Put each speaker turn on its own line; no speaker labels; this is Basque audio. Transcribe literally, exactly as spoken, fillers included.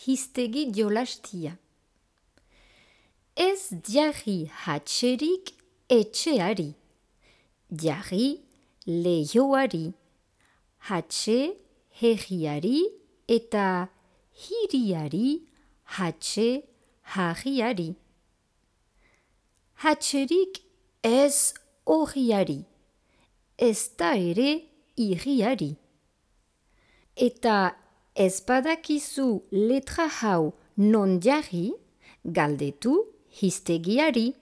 hiztegi jolastia. Ez jarri hatxerik etxeari, jarri lehioari, hatxe herriari eta hiriari hatxe harriari. Hatxerik ez horriari, ez da ere hiriari. Eta ez badakizu letra hau non jarri, galdetu hiztegiari.